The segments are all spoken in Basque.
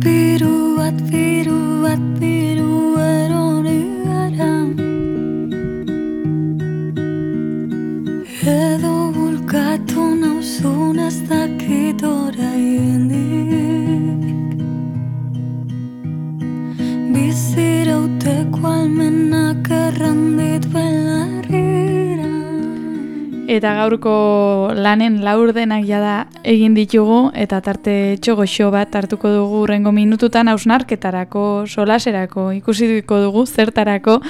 biru erori gara. Edo bulkatu nauzun ez dakit oraindik. Bizirauteko almenak errandit belarrira. Eta gaurko lanen laurdenak jada egin ditugu eta tarte txogoxo bat hartuko dugu hurrengo minututan hausnarketarako, solaserako, ikusiko dugu zertarako,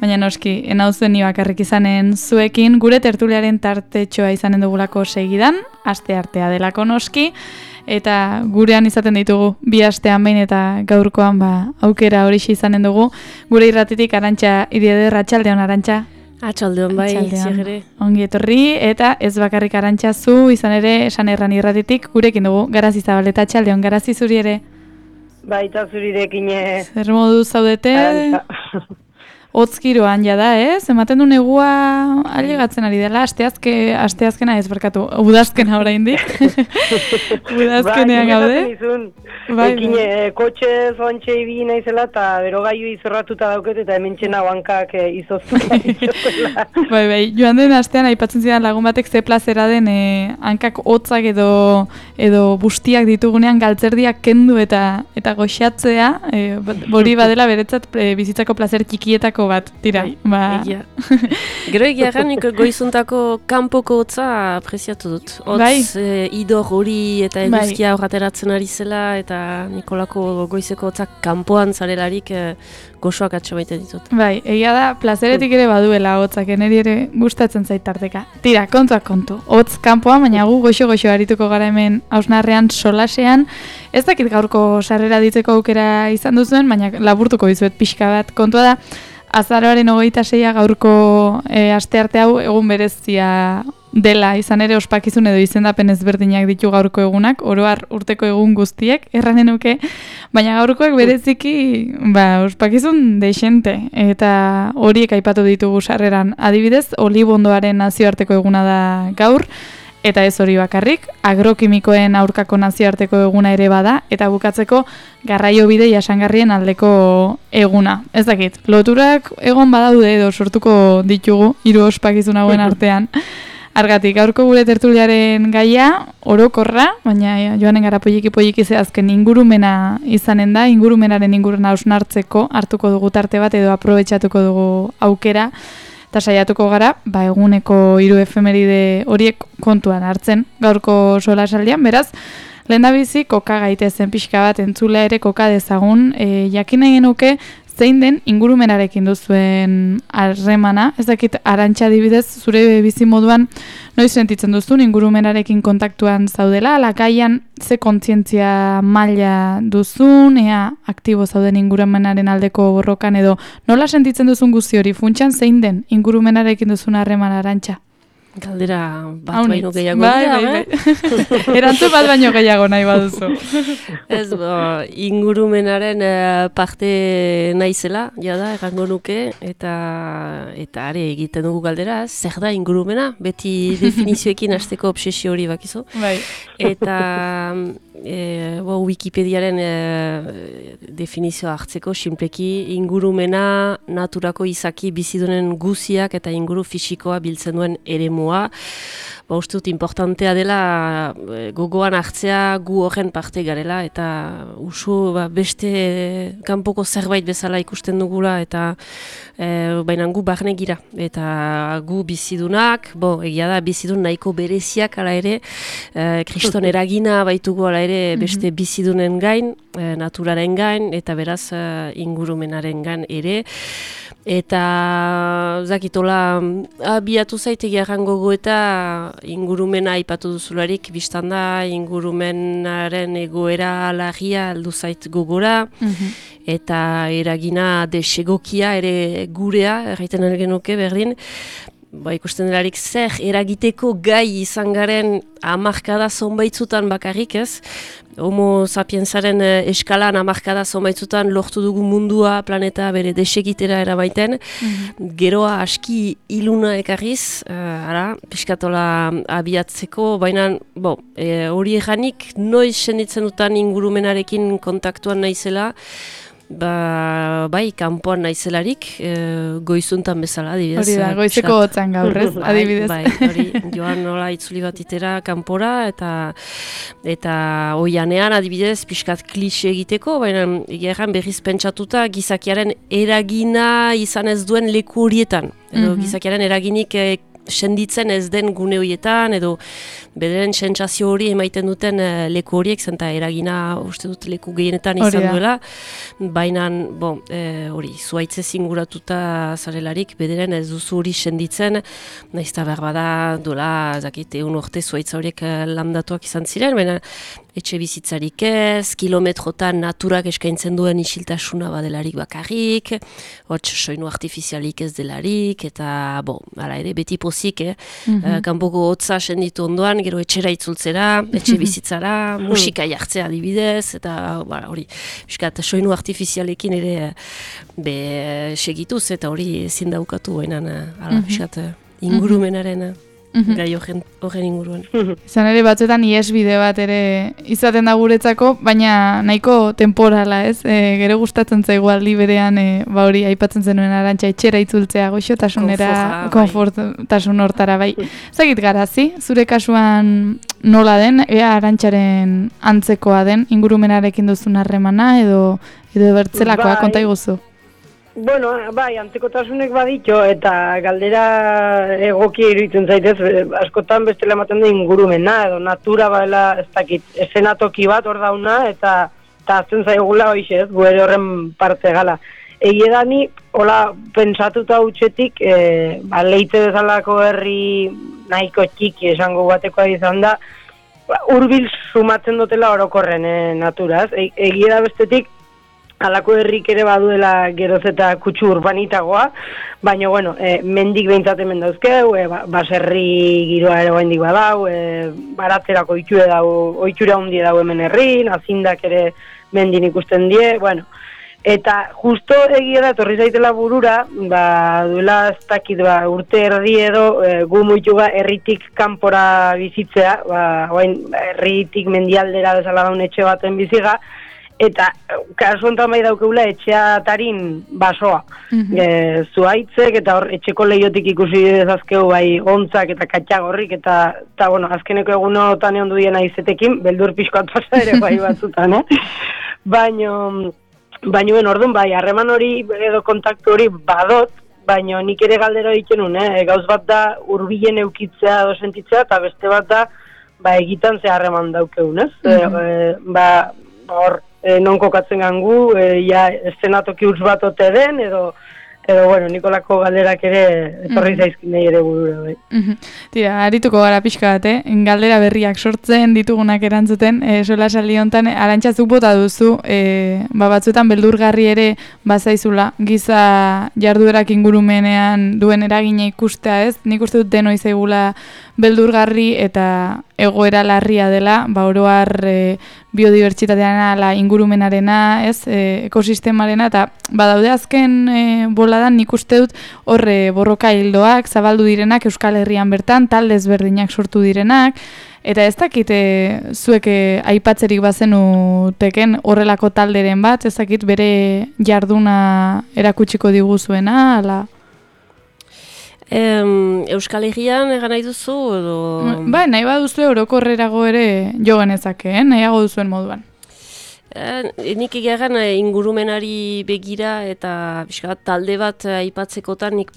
baina noski, enauzen ni bakarrik izanen zuekin, gure tertuliaren tartetxoa izanen dugulako segidan, aste artea delako noski, eta gurean izaten ditugu bi astean behin eta gaurkoan aukera horixe izanen dugu, gure irratitik Arantxa Idieder, atxaldeon Arantxa. Atxaldeon bai, ziagere. Ongi etorri, eta ez bakarrik Arantxa zu, izan ere, esan erran irratitik, gurekin dugu, Garazi Zabaleta, atxaldeon, Garazi zuri ere. Baita zurirekin. Zer modu zaudete? Hotzkiroan jada, ez? Ematen du negua ailegatzen ari dela, asteazkena ez barkatu, udazkena oraindik. Udazkenean gaude. Ekin kotxe zoantxe ibi naizela eta berogaiu izorratuta dauket eta hemen txena hankak izoztuta dituzela. Bai, joan den astean aipatzen zidan lagun batek ze plazera den hankak hotzak edo bustiak ditugunean galtzerdiak kendu eta goxatzea, hori badela beretzat bizitzako plazer txikietako bat, tira. Egia. Gero egia nik goizuntako kanpoko hotza apreziatu dut. Hotz idor hori eta eguzkia horrateratzen ari zela eta Nikolako goizeko hotzak kanpoan zarelarik gozoak atxo baita ditut. Bai, egia da, plazeretik ere baduela hotzak, niri ere gustatzen zait tarteka. Tira, kontuak kontu. Hotz kanpoan, baina gu goxo arituko gara hemen hausnarrean solasean. Ez dakit gaurko sarrera ditzeko aukera izan duzuen, baina laburtuko dizuet pixka bat. Kontua da, azaroaren 26 gaurko astearte hau egun berezia dela, izan ere ospakizun edo izendapen ezberdinak ditu gaurko egunak, oro har urteko egun guztiek, erranen nuke, baina gaurkoek bereziki ospakizun dexente, eta horiek aipatu ditugu sarreran. Adibidez, olibondoaren nazioarteko eguna da gaur, eta ez hori bakarrik, agrokimikoen aurkako nazioarteko eguna ere bada, eta bukatzeko garraiobide jasangarrien aldeko eguna. Ez dakit, loturak egon badaude edo sortuko ditugu, hiru ospakizun hauen artean. Argatik, gaurko gure tertuliaren gaia, orokorra, baina joanen gara polliki zehazken ingurumena izanen da, ingurumenaren inguruna hausnartzeko hartuko dugu tarte bat edo aprobetxatuko dugu aukera, eta saiatuko gara, eguneko 3 efemeride horiek kontuan hartzen gaurko solasaldian, beraz, lehendabizi koka gaitezen pixka bat entzulea ere koka dezagun, jakin nahi genuke zein den ingurumenarekin duzuen harremana, ez dakit Arantxa adibidez, zure bizi moduan noiz sentitzen duzun ingurumenarekin kontaktuan zaudela, lakaian ze kontzientzia maila duzun, ea aktibo zauden ingurumenaren aldeko borrokan edo nola sentitzen duzun guzti hori, funtsan zein den ingurumenarekin duzun harremana Arantxa? Galdera bat baino gehiago dira, Erantzun bat baino gehiago nahi baduzu. Ez, ingurumenaren parte naizela, jada, errango nuke, eta are egiten dugu galdera, zer da ingurumena, beti definizioekin hasteko obsesio hori bakizu. Eta Wikipediaren definizioa hartzeko, sinpleki ingurumena naturako izaki bizidunen guziak eta inguru fisikoa biltzen duen eremua. Uste dut importantea dela gogoan hartzea gu horren parte garela eta usu beste kanpoko zerbait bezala ikusten dugula eta baina gu barne gira eta gu bizidunak, egia da bizidun nahiko bereziak ala ere, kriston eragina baitugu ala ere beste bizidunen gain, naturaren gain eta beraz ingurumenaren gain ere. Eta zakitola abiatu zaitegi errango goeta ingurumena aipatu duzularik biztanda ingurumenaren egoera larria aldu zait gogora eta eragina desegokia ere gurea erraiten genuke berdin ikusten delarik zer eragiteko gai izan garen hamarkada zonbaitzutan bakarrik ez, Homo sapiensaren eskalan hamarkada zonbaitzutan lortu dugu mundua, planeta bere desegitera eramaiten, geroa aski iluna ekarriz, piskatola abiatzeko, baina hori eganik noiz senditzen dutan ingurumenarekin kontaktuan naizela, bai, kanpoan naizelarik, goizuntan bezala, adibidez. Hori da, goizeko hotzan gaur, ez, adibidez. Bai, hori, joan nola itzuli bat itera kanpora, eta oianean, adibidez, pixkat klixe egiteko, baina egeran berriz pentsatuta gizakiaren eragina izan ez duen leku horietan. Edo gizakiaren eraginik senditzen ez den gune horietan, edo bederen sentsazio hori emaiten duten leku horiek, zenta eragina uste dut leku gehienetan izan duela, baina hori, zuaitze zinguratuta zarelarik, bederen ez duzu hori senditzen, naizta berbada dola, zakite, urte zuaitza horiek landatuak izan ziren, baina etxe bizitzarik ez, kilometrotan naturak eskaintzen duen isiltasuna badelarik bakarrik, hots soinu artifizialik ez delarik, eta hala ere, beti pozik, kanpoko hotza senditu ondoan, gero etxera itzultzera, etxe bizitzara, musika jartzea adibidez, eta hori, piskat, soinu artifizialekin ere segituz, eta hori ezin daukatu bainan, piskat, ingurumenaren gai horren inguruan. Izan ere batzuetan iesbide bat ere izaten da guretzako, baina nahiko temporala, ez? Gero gustatzen zaigu aldi berean, hori aipatzen zenuen Arantxa, etxera itzultzea goxotasunera, konfortasun hortara, bai. Zagit garazi, zure kasuan nola den, Arantxaren antzekoa den, ingurumenarekin duzun harremana, edo bertzelakoa, konta iguzu. Bueno, bai, antzekotasunek baditxo, eta galdera egokia iruditzen zaitez, askotan bestela ematen da ingurumena, edo natura baela, ez dakit, esenatoki bat hor dauna, eta azten zaigula hoiz ez, gu ere horren parte gala. Egie da ni, hola, pentsatuta utxetik, leite bezalako herri nahiko txiki esango batekoa izan da, hurbil sumatzen dutela orokorren naturaz. Egie da bestetik, halako herrik ere baduela geroz eta kutsu urbanitagoa, baina, bueno, mendik behintzat hemen dauzkeu, baserri giroa ere oraindik badau, baratzerako ohitura handi dau hemen herrin, azindak ere mendin ikusten die, bueno. Eta justo egia da, etorri zaitela burura, duela ez dakit, urte erdi edo, gu muituga herritik kanpora bizitzea, herritik mendialdera bezala daun etxe baten biziga, eta kasu honetan bai daukeula etxeatarin basoa. Zuaitzek eta hor etxeko lehiotik ikusi dezazkeu bai gontzak eta katxagorrik eta bueno, azkeneko egunotan egon dudiena izetekin, beldur pixkoat pasa ere bai batzutan, Baina, orduan bai, harreman hori edo kontaktu hori badot, baina nik ere galdera egiten gauz bat da hurbilen eukitzea edo sentitzea, eta beste bat da egitan ze harreman daukeun, ez? Hor, non kokatzen gangu, eszenatoki huts bat ote den, edo bueno, Nikolako galderak ere etorri zaizkin nahi ere burura, bai. Tira, arituko gara pixka bat, galdera berriak sortzen, ditugunak erantzuten, solasaldi honetan, Arantxa zuk bota duzu, batzuetan beldurgarri ere bazaizula, giza jarduerak ingurumenean duen eragina ikustea, ez? Nik uste dut denoi zaigula beldurgarri eta egoera larria dela, oro har biodibertsitatearena, ala ingurumenarena, ez, ekosistemarena, eta badaude azken boladan nik uste dut horre borroka hildoak, zabaldu direnak Euskal Herrian bertan, talde ezberdinak sortu direnak, eta ez dakit zuek aipatzerik bazenu teken horrelako talderen bat, ez dakit bere jarduna erakutsiko diguzuena, ala... Euskal Herrian egan nahi duzu, edo... Ba, nahi baduzu orokorrerago ere jo genezake, nahiago duzuen moduan. Nik egeran ingurumenari begira eta talde bat aipatzekotan nik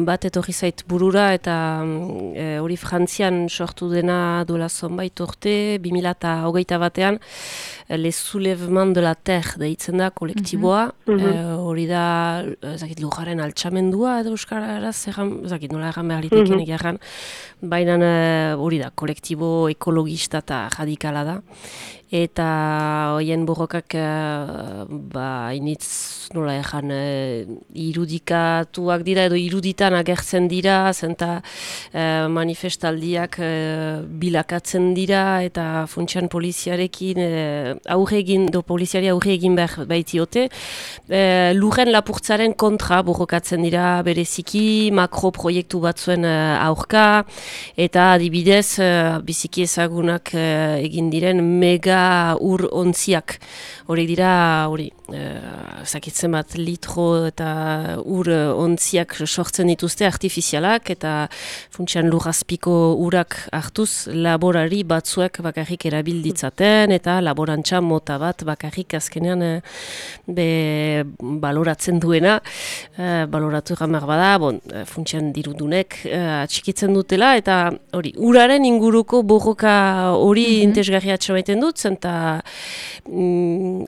bat etorri zait burura eta hori Frantzian sortu dena duela zonbait urte, 2021 batean Les Soulèvements de la Terre deitzen da kolektiboa, hori da, ezakit, lujaren altxamendua edo euskaraz, ezakit, nola erran behar liteken egiarran, baina hori da, kolektibo ekologista eta radikala da. Eta hoien borrokak initz nola ejan irudikatuak dira edo iruditan agertzen dira, zenta manifestaldiak bilakatzen dira eta funtsian poliziarekin poliziari aurre egin behar baitiote. Lurren lapurtzaren kontra borrokatzen dira bereziki makroproiektu batzuen aurka eta adibidez biziki ezagunak egin diren mega ur ontziak, horiek dira, zakitzen bat litro eta ur ontziak sortzen dituzte artifizialak eta funtsian lurrazpiko urak hartuz laborari batzuek bakarrik erabilditzaten eta laborantza mota bat bakarrik azkenean baloratzen duena, baloratu gamar bada, funtsian dirudunek atxikitzen dutela eta hori, uraren inguruko borroka hori intesgarria atxamaiten dut, eta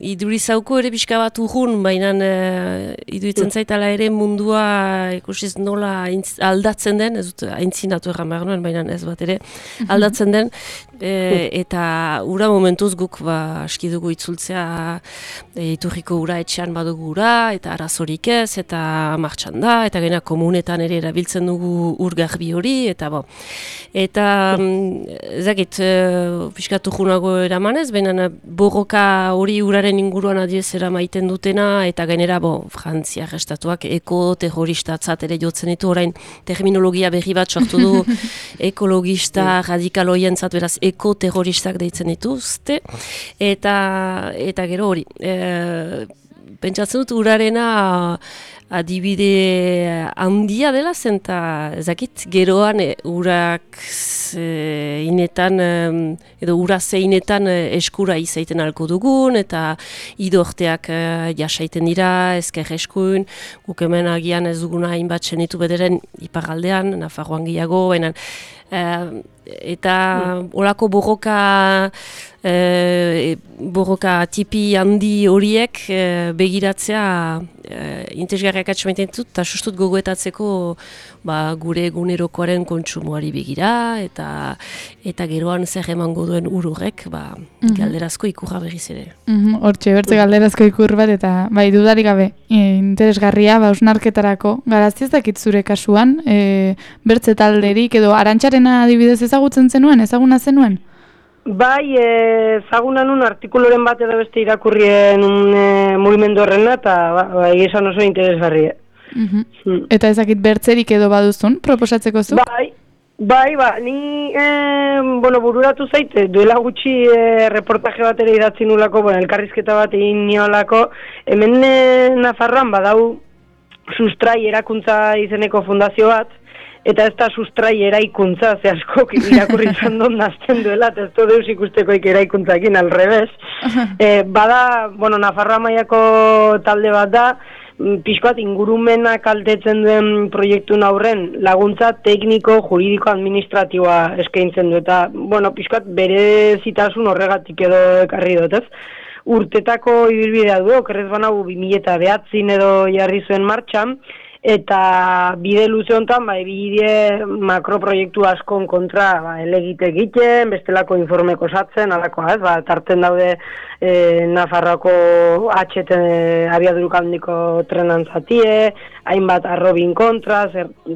idurizauko ere pixka bat urrun, baina iduritzen zaitala ere mundua ikusiz nola aldatzen den, ez dut aintzinatu erran behar nuen, baina ez bat ere aldatzen den, eta ura momentuz guk aski dugu itzultzea iturriko ura etxean badugu ura, eta arazorik ez, eta martxan da, eta gena komunetan ere erabiltzen dugu ur garbi hori, eta ezakit pixka urrunago eramanez, baina borroka hori uraren inguruan adiezera maiten dutena, eta gainera, Frantziar estatuak eko-terroristatzat ere jotzen ditu, orain terminologia berri bat sortu du ekologista radikaloientzat, beraz eko-terroristak deitzen dituzte, eta gero hori. Pentsatzen dut urarena adibide handia dela zen, eta ezakit geroan urak inetan edo ura zeinetan eskura izaiten alko dugun eta idorteak jasaiten dira, ezker eskuin, guk hemen agian ez duguna hainbat senitu bederen iparraldean, Nafarroan gehiago, baina eta olako borroka tipi handi horiek begiratzea interesgarriak atxamaiten dut, eta sustut gogoetatzeko gure egunerokoaren kontsumoari begira, eta geroan zer emango duen ururek, galderazko ikurra berriz ere. Hortxe, galderazko ikur bat, eta dudarik gabe, interesgarria, hausnarketarako, garazti ez dakit zure kasuan, bertze talderik, edo Arantxarena adibidez ezaguna zenuen? Bai, ezaguna nun artikuloren bat edo beste irakurrien mugimendu horrena, eta egizan oso interesgarria. Eta ezakit bertzerik edo baduzun, proposatzeko zu? Bai, ni bururatu zaite, duela gutxi reportaje bat ere idatzi nulako, elkarrizketa bat egin niolako, hemen Nafarroan badau Sustrai erakuntza izeneko fundazio bat, eta ez da Sustrai eraikuntza, ze askok irakurri izan dut nazten duela, eta ez du deus ikustekoik eraikuntzakin, alrebez. Bada, Nafarroa mailako talde bat da, pixkoat ingurumena kaltetzen duen proiektun aurren laguntza tekniko, juridiko, administratiboa eskaintzen du, eta, pixkoat bere zitasun horregatik edo ekarri dut, ez? Urtetako ibilbidea du, okerrez banau 2009 edo jarri zuen martxan, eta bide luze honetan, bide makroproiektu askon kontra elegite egiten, bestelako informeko osatzen, alakoa, ez? Tarten daude Nafarroako HT abiaduruk handiko trenan zatie, hainbat arrobin kontra,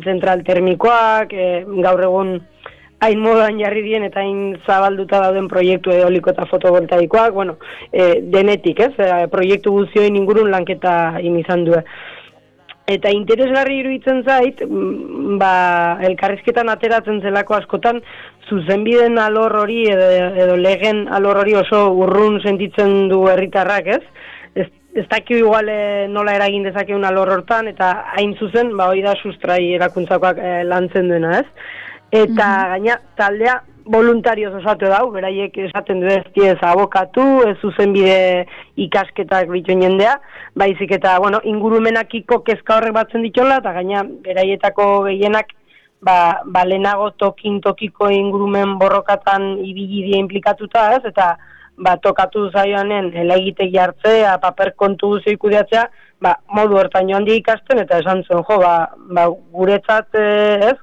zentral termikoak, gaur egun hain modan jarri dien eta hain zabalduta dauden proiektu eoliko eta fotovoltaikoak, denetik, ez? Proiektu guztioen ingurun lanketa izan du. Eta interesgarri iruditzen zait, elkarrizketan ateratzen zelako askotan, zuzenbiden alor hori edo legen alor hori oso urrun sentitzen du herritarrak, ez? Ez dakio igual nola eragin dezakeun alor hortan, eta hain zuzen, hori da Sustrai erakuntzakoak lantzen duena, ez? Eta gaina taldea voluntarioz osatu dau, beraiek esaten du ez abokatu, ez zuzenbide ikasketak bituen jendea, baizik eta, ingurumenakiko kezka horrek batzen ditola, eta gaina beraietako gehienak, lehenago tokiko ingurumen borrokatan ibili die implikatuta, ez? Eta tokatu zaioanen elegitegi hartzea, paper kontu guzti kudeatzea, modu hortan joan di ikasten, eta esan zuen, guretzat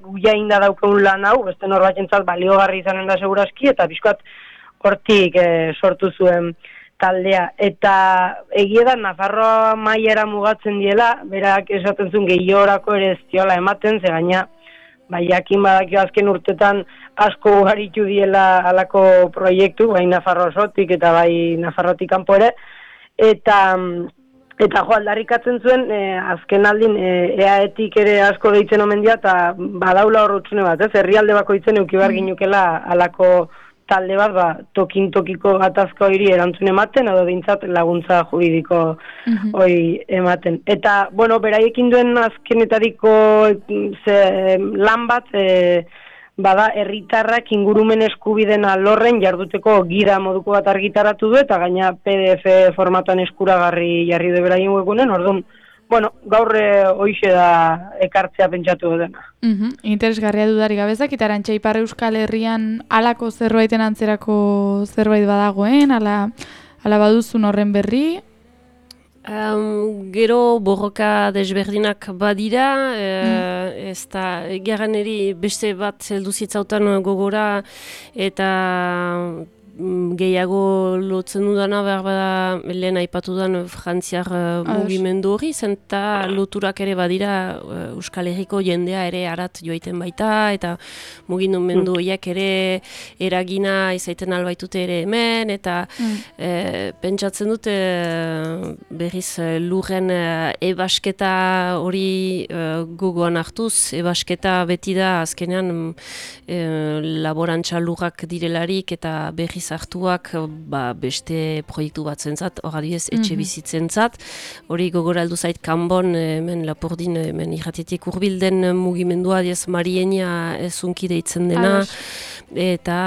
guia inda daukeun lan hau, beste norbaitentzat baliogarri izanen da seguraski, eta bizkoat hortik sortu zuen taldea. Eta egia da, Nafarroa mailara mugatzen diela, berak esaten zuen gehiorako ere ez diola ematen, ze gaina, jakin badakio azken urtetan asko ugaritu diela alako proiektu, bai Nafarro osotik eta bai Nafarrotik kanpo ere, eta aldarrikatzen zuen, azken aldin EAEtik ere asko deitzen omen dira, eta badaula hor utxune bat, herrialde bakoitzen eukibar ginukela alako talde bat, tokin-tokiko gatazko hori erantzun ematen, edo dintzat laguntza juridiko hori ematen. Eta, beraiekin duen azkenetariko lan bat, bada herritarrak ingurumen eskubideen alorren jarduteko gida moduko bat argitaratu du, eta gaina PDF formatuan eskuragarri jarri du beraien webgunen, orduan, gaur hoixe da ekartzea pentsatu dena. Interesgarria dudarik gabezak, eta Arantxa Ipar Euskal Herrian halako zerbaiten antzerako zerbait badagoen, ala baduzun horren berri? Gero borroka desberdinak badira, ez da, geraneri beste bat zeldu zitzautan gogora, eta gehiago lotzen dudana behar bada lehen aipatudan frantziar mugimendu hori, zenta loturak ere badira Euskal Herriko jendea ere arat joaiten baita, eta mugimendu horiek ere eragina izaiten albaitute ere hemen, eta pentsatzen dute berriz lurren ebasketa hori gogoan hartuz, ebasketa beti da azkenean laborantza lurrak direlarik eta berriz hartuak beste proiektu bat zentzat, hor adibidez etxe bizitzentzat, hori gogora heldu zait Kanbon, hemen Lapordin, hemen irratietik hurbilden mugimendua, adiez Marienia ezunki deitzen dena, eta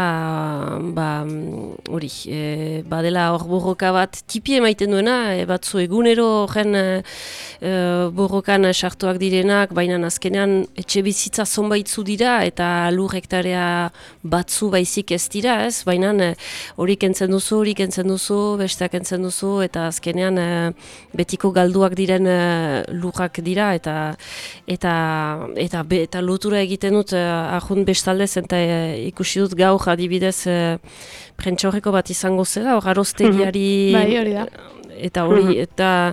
hori, badela hor borroka bat tipi emaiten duena, batzu egunero horren borrokan sartuak direnak, baina azkenean etxe bizitza zonbaitzu dira, eta lur hektarea batzu baizik ez dira, ez, baina hori kentzen duzu, besteak kentzen duzu, eta azkenean betiko galduak diren lurrak dira, eta lotura egiten dut ahun bestaldez, eta ikusi dut gaur adibidez prentsaurreko bat izango zela, hor aroztegiari hori da. Eta hori, eta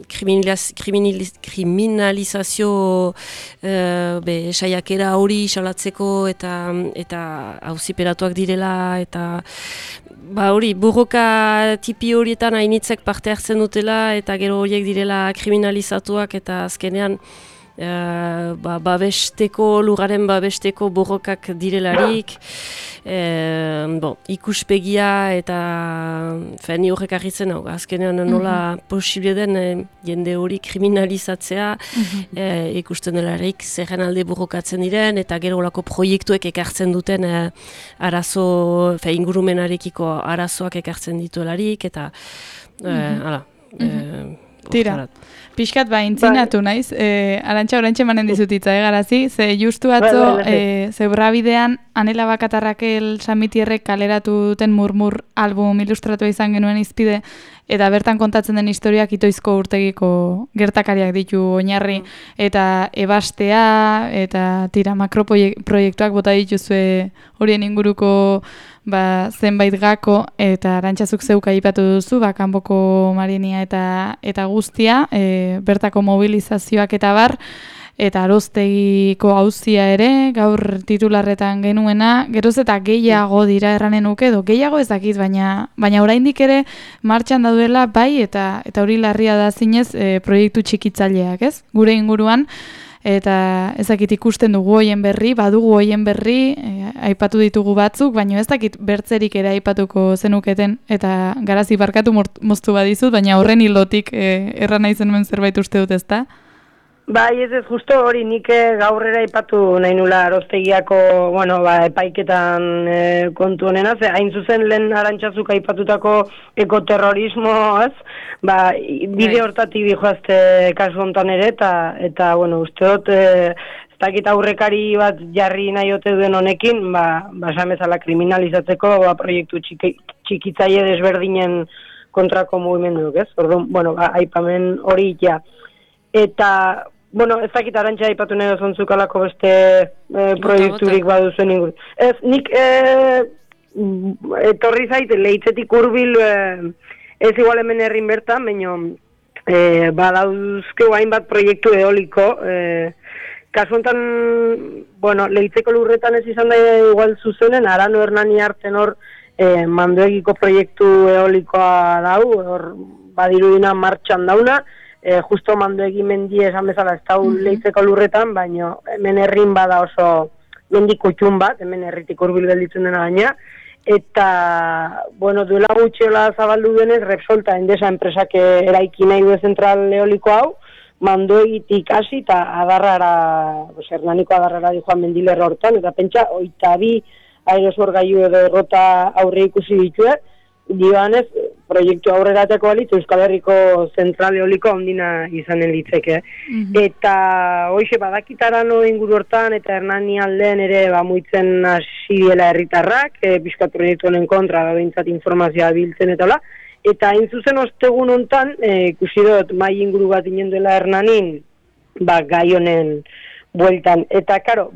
kriminalizazio saiakera hori salatzeko eta auziperatuak direla, eta hori, borroka tipi horietan hainitzek parte hartzen dutela, eta gero horiek direla kriminalizatuak, eta azkenean lugaren babesteko borrokak direlarik, ikuspegia eta ni horrek argitzen hau, azkenean nola posible den jende hori kriminalizatzea, ikusten delarik zerren alde borrokatzen diren, eta gero olako proiektuek ekartzen duten arazo, ingurumenarekiko arazoak ekartzen dituelarik, eta tira. Piskat intzinatu naiz, Arantxa oraintxe emanen dizutitza, garazi, ze justu atzo, Zebrabidean, Anela Bakatarrakel Samitierrek kaleratu duten Murmur album ilustratua izan genuen izpide, eta bertan kontatzen den historiak Itoizko urtegiko gertakariak ditu oinarri, eta ebastea, eta tira, makroproiektuak bota dituzue horien inguruko zenbait gako, eta Arantxazuk zeuk aipatu duzu, kanpoko Marienia eta guztia, bertako mobilizazioak eta bar, eta Aroztegiko auzia ere, gaur titularretan genuena, geroz eta gehiago dira erranen nuke, edo gehiago ez dakit, baina oraindik ere martxan dauela bai, eta hori larria da zinez proiektu txikitzaileak, ez? Gure inguruan, eta ez dakit ikusten dugu hoien berri, badugu hoien berri, aipatu ditugu batzuk, baina ez dakit bertzerik ere aipatuko zenuketen, eta garazi barkatu moztu badizut, baina horren hilotik erran nahi zenuen zerbait uste dut, ezta? Bai, ez justo hori nik gaurrera aipatu nahi nula Aroztegiako, epaiketan kontu honena, ze hain zuzen lehen Arantxazuk aipatutako ekoterrorismo, ez? Bide hortatik dijoazte kasu hontan ere, eta uste dut, ez dakit aurrekari bat jarri nahi ote duen honekin, esan bezala kriminalizatzeko proiektu txikitzaile desberdinen kontrako mugimenduk, ez? Orduan, bueno, aipamen hori ja. Eta, bueno, ez dakit Arantxa aipatu nahi dozontzuk alako beste proiekturik baduzuen ingur. Ez, nik etorri zait, lehitzetik hurbil ez igual hemen herrin bertan, baina badauzkeu hainbat proiektu eoliko, kasu honetan, bueno, lehitzeko lurretan ez izan da igual zuzenen, Arano Hernani hartzen hor mandoegiko proiektu eolikoa dau, hor badirudina martxan dauna, justo mandoegi mendi esan bezala ez dau lehitzeko lurretan, baina hemen herrin bada oso mendiko txun bat, hemen herritik hurbil gelditzen dena gaina, eta, bueno, duela gutxiola zabaldu denez, Repsolta Endesa enpresak eraiki nahi du zentral eoliko hau, mandoegitik hasi eta adarrara, Hernaniko adarrara dijoan mendilerro hortan, eta pentsa, 22 aerosorgailu edo errota aurre ikusi ditue, dioanez, proiektu aurrerateko balitz, Euskal Herriko zentral eoliko handina izanen litzeke. Eta, hoxe, badakitarano inguru hortan, eta Hernani aldean ere, muitzen hasi diela herritarrak, pixkat proiektu honen kontra, behintzat informazioa biltzen eta hola. Eta, hain zuzen ostegun hontan, ikusi dut, mai inguru bat inen dela Hernanin, gai honen bueltan. Eta, karo,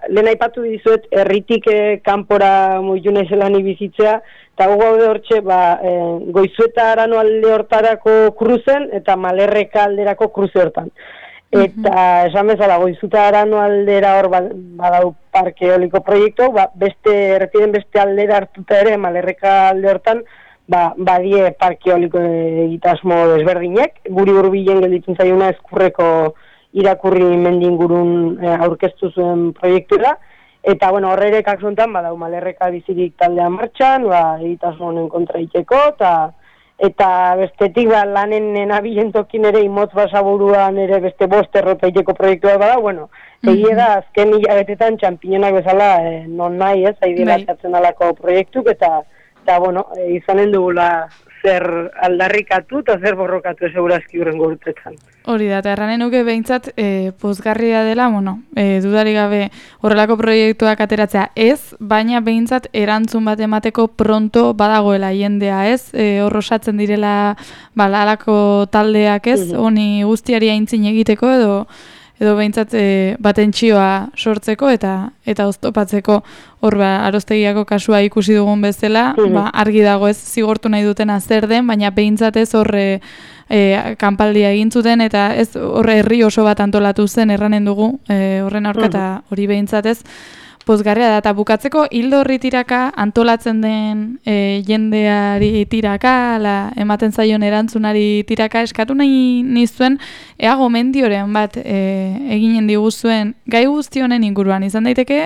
lehen aipatu dizuet, herritik kanpora muitu nahizelan ibizitzea, eta gaude hortxe, Goizueta Arano alde hortarako kruzen, eta Malerreka alderako kruze hortan. Eta, esan bezala, Goizueta Arano aldera hor badau parke eoliko proiektu, errepiden beste aldera hartuta ere, Malerreka alde hortan, badie parke eoliko egitasmo desberdinek, guri hurbilen gelditzen zaiuna Ezkurreko irakurri mendingurun aurkeztu zuen proiektura, eta, bueno, horre kaksontan, badau Malerreka bizirik taldea martxan, egitasmo honen kontra iteko, eta bestetik, lanen nabilen tokin ere imotz basaburuan ere beste 5 errota iteko proiektua bada, bueno, egia da, azken hilabetetan txampiñonak bezala, non nahi ez, haidela txatzen alako proiektuk, eta, bueno, izanen dugula zer aldarrikatu eta zer borrokatu segurazki urrengo urtetan. Hori da, eta erranen nuke behintzat pozgarria dela, dudarik gabe horrelako proiektuak ateratzea ez, baina behintzat erantzun bat emateko pronto badagoela jendea ez, horrosatzen direla alako taldeak ez, honi guztiari aintzin egiteko edo behintzat batentsioa sortzeko eta oztopatzeko hor Arostegiako kasua ikusi dugun bezala, argi dago ez zigortu nahi dutena zer den, baina behintzat ez horre kanpaldia egin zuten eta ez horre herri oso bat antolatu zen erranen dugu horren aurka eta hori behintzat ez pozgarria da, eta bukatzeko hildo horri tiraka antolatzen den jendeari tiraka, ematen zaion erantzunari tiraka eskatu nahi nizuen, ea gomendioren bat eginen diguzuen gai guzti honen inguruan, izan daiteke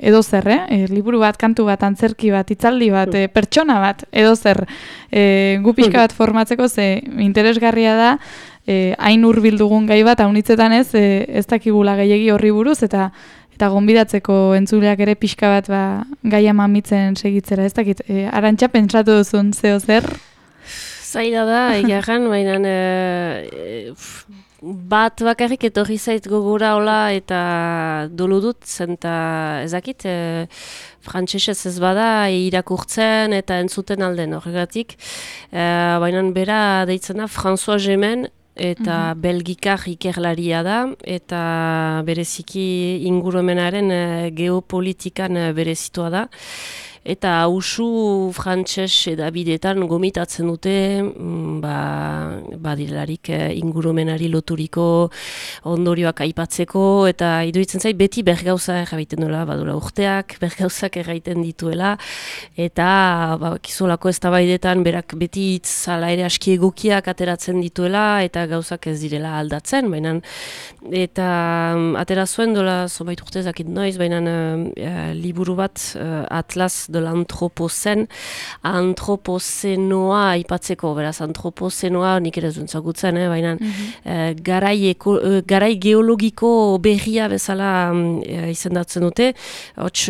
edo zer, liburu bat, kantu bat, antzerki bat, hitzaldi bat, pertsona bat, edo zer, gu pixka bat formatzeko ze interesgarria da, hain hurbil dugun gai bat, haunitzetan ez dakigula gehiegi horri buruz, eta gonbidatzeko entzuleak ere pixka bat gaia mamitzen segitzera, ez dakit. Arantxa, pentsatu duzun zeo zer? Zaila da, egarran, baina bat bakarrik etorri zait gogora hola eta dolu dut, zenta ezakit, frantsesez ez bada irakurtzen eta entzuten alden horregatik. Baina bera deitzena François Gemen, eta belgikar ikerlaria da, eta bereziki ingurumenaren geopolitikan berezitua da. Eta hausu frantses edabideetan gomitatzen dute badirarik ingurumenari loturiko ondorioak aipatzeko, eta iruditzen zait beti bergauza erraiten duela, badura urteak bergauzak erraiten dituela, eta kizolako eztabaidetan berak beti itzala ere aski egokiak ateratzen dituela, eta gauzak ez direla aldatzen, baina eta atera zuen dola zonbait urte zakit noiz, baina liburu bat Atlas de l'Anthropocène, antropozenoa aipatzeko, beraz, antropozenoa nik ere zuntzagutzen, baina garai geologiko berria bezala izendatzen dute, hots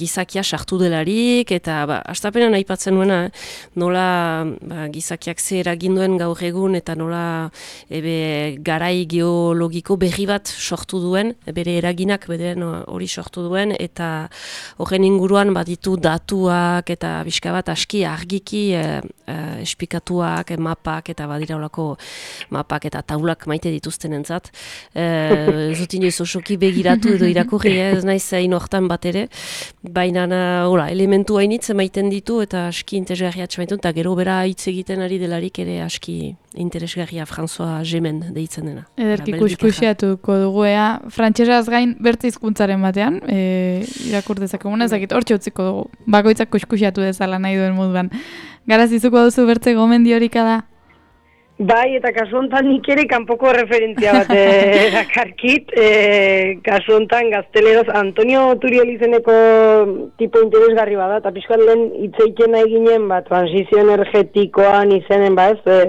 gizakia sartu delarik, eta hastapenean aipatzen nuena, nola gizakiak ze eraginduen gaur egun, eta nola garai geologiko berri bat sortu duen, bere eraginak beren hori sortu duen, eta horren inguruan baditu datuak eta bizka bat aski argiki esplikatuak, mapak eta badira olako mapak eta taulak maite dituztenentzat. Ez dut inoiz osoki begiratu edo irakurri, ez naiz hain hortan bat ere, baina elementu hainitz emaiten ditu eta aski interesgarria atxamaitu, eta gero bera hitz egiten ari delarik ere aski interesgarria François Gemen deitzen dena. Ederki kuskusiatuko dugu frantsesaz gain bertze hizkuntzaren batean, irakur dezakeguna, ezakit hortxe utziko dugu, bakoitzak kuskusiatu dezala nahi duen moduan. Garazizuko duzu bertze gomendiorik da? Bai, eta kasu honetan nik ere kanpoko referentzia bat dakarkit. Kasu honetan gazteleroz Antonio Turiel izeneko tipo interesgarri bada, eta pixkat lehen hitzeiten nahi ginen, transizio energetikoan izenen,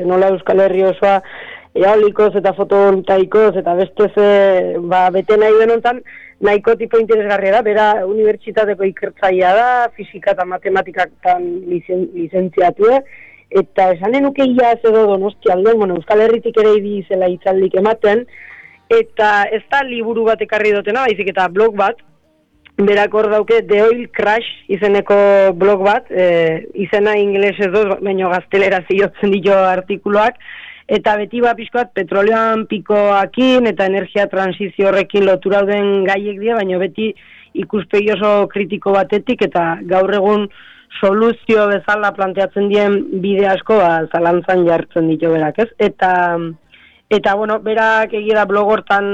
nola Euskal Herri osoa eolikoz eta fotovoltaikoz eta bestez bete nahi den honetan, nahiko tipo interesgarria da, bera unibertsitateko ikertzailea da, fisika eta matematikatan lizentziatu, eta esanen nuke ia ez edo Donostia aldean, Euskal Herritik ere izela hitzaldik ematen, eta ez da liburu bat ekarri dutena, baizik eta blog bat, berak hor dauke The Oil Crash izeneko blog bat, izena ingelesez dut, baina gaztelera ziotzen ditu artikuluak, eta beti pixkoat petroleoan pikoakin eta energia transizio horrekin lotura dauden gaiek dira, baina beti ikuspegi oso kritiko batetik, eta gaur egun soluzio bezala planteatzen dien bide asko zalantzan jartzen ditu berak, ez? Eta berak egira blog hortan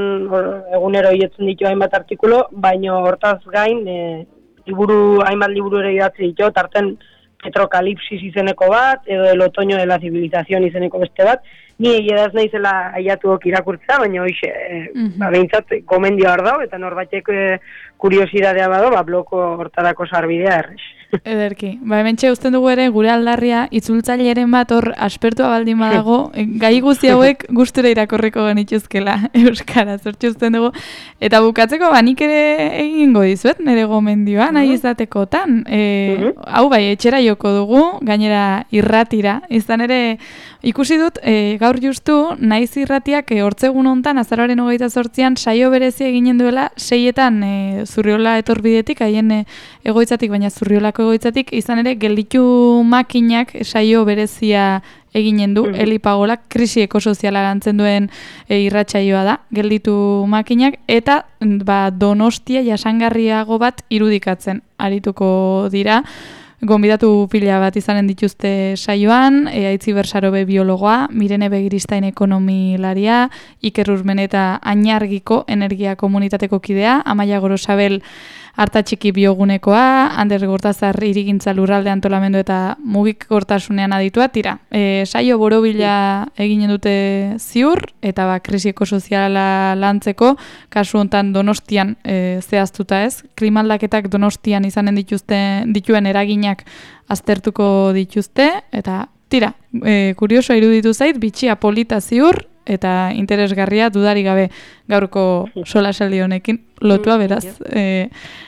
egunero hietzen ditu hainbat artikulo, baina hortaz gain hainbat liburu ere idatzi ditu, tarten Petrokalipsis izeneko bat, edo El otoño de la civilización izeneko beste bat, ni egiedaz naizela aiatuok irakurtza, baina hoxe, behintzat gomendio hor dau, eta norbaitek kuriosidadea bado, bloko hortarako sarbidea errex. Ederki. Hementxe usten dugu ere gure aldarria itzultzaileren bat hor aspertua baldin badago, gai guzti hauek gustura irakorriko genituzkela euskaraz, hortxe usten dugu. Eta bukatzeko nik ere egingo dizuet, nire gomendioa, nahi izatekotan. Hau bai, etxera joko dugu, gainera irratira. Izan ere, ikusi dut, gaur justu, naiz irratiak hortzegun hontan, azaroaren 28an, saio berezi eginen duela, 6etan Zurriola etorbidetik, haien egoitzatik, baina Zurriolako egoitzatik, izan ere, gelditu makinak saio berezia eginen du, Elipagolak krisi ekosoziala lantzen duen irratsaioa da, gelditu makinak, eta Donostia jasangarriago bat irudikatzen arituko dira. Gonbidatu pila bat izanen dituzte saioan, Aitzi Bersarobe biologoa, Mirene Begiristain ekonomilaria, Iker Urmeneta Añargiko energia komunitateko kidea, Amaia Gorosabel Artatxiki biogunekoa, Ander Gortazar irigintza lurralde antolamendu eta mugikortasunean aditua, tira. Saio borobila eginen dute ziur, eta krisi ekosoziala lantzeko, kasu hontan Donostian zehaztuta ez, klimaldaketak Donostian izanen dituen eraginak aztertuko dituzte, eta tira, kurioso iruditu zait, bitxia polita ziur, eta interesgarria dudari gabe gaurko solasaldi honekin lotua, beraz,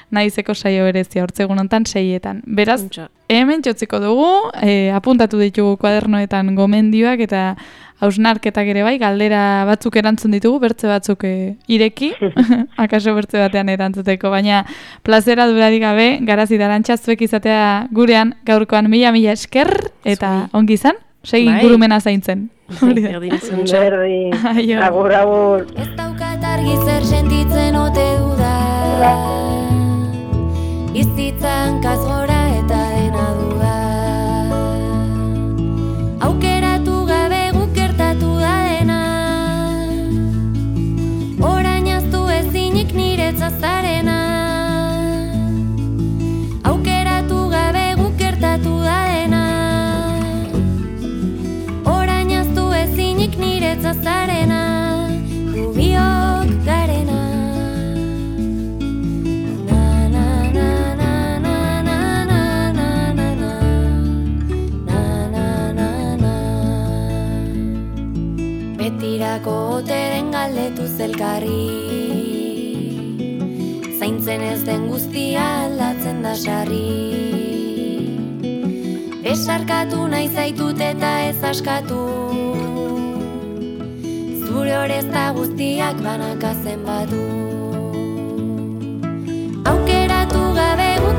naizeko saio berezia hortzegun hontan 6etan. Beraz, hemen txotziko dugu, apuntatu ditugu kuadernoetan gomendioak eta hausnarketak ere bai, galdera batzuk erantzun ditugu, bertze batzuk ireki, akaso bertze batean erantzuteko, baina plazera dudari gabe, Garazi Arantxa zuek izatea gurean gaurkoan mila esker, eta ongi izan, segi ingurumena zaintzen. Berdi, agur. Ez daukat argi zer sentitzen ote duda, bizitzan kazgora eta dena duda. Aukeratu gabe guk gertatu da dena, orain aztu ezinik niretzat zarena. Aukeratu gabe guk gertatu da dena, niretzat zarena, gubiok garena. Na na na na na na na na na na na na na. Betirako ote den galdetu zelkarri, zaintzen ez den guztia aldatzen da sarri. Besarkatu nahi zaitut eta ez askatu, zure orezta guztiak banaka zenbatu. Aukeratu gabe guk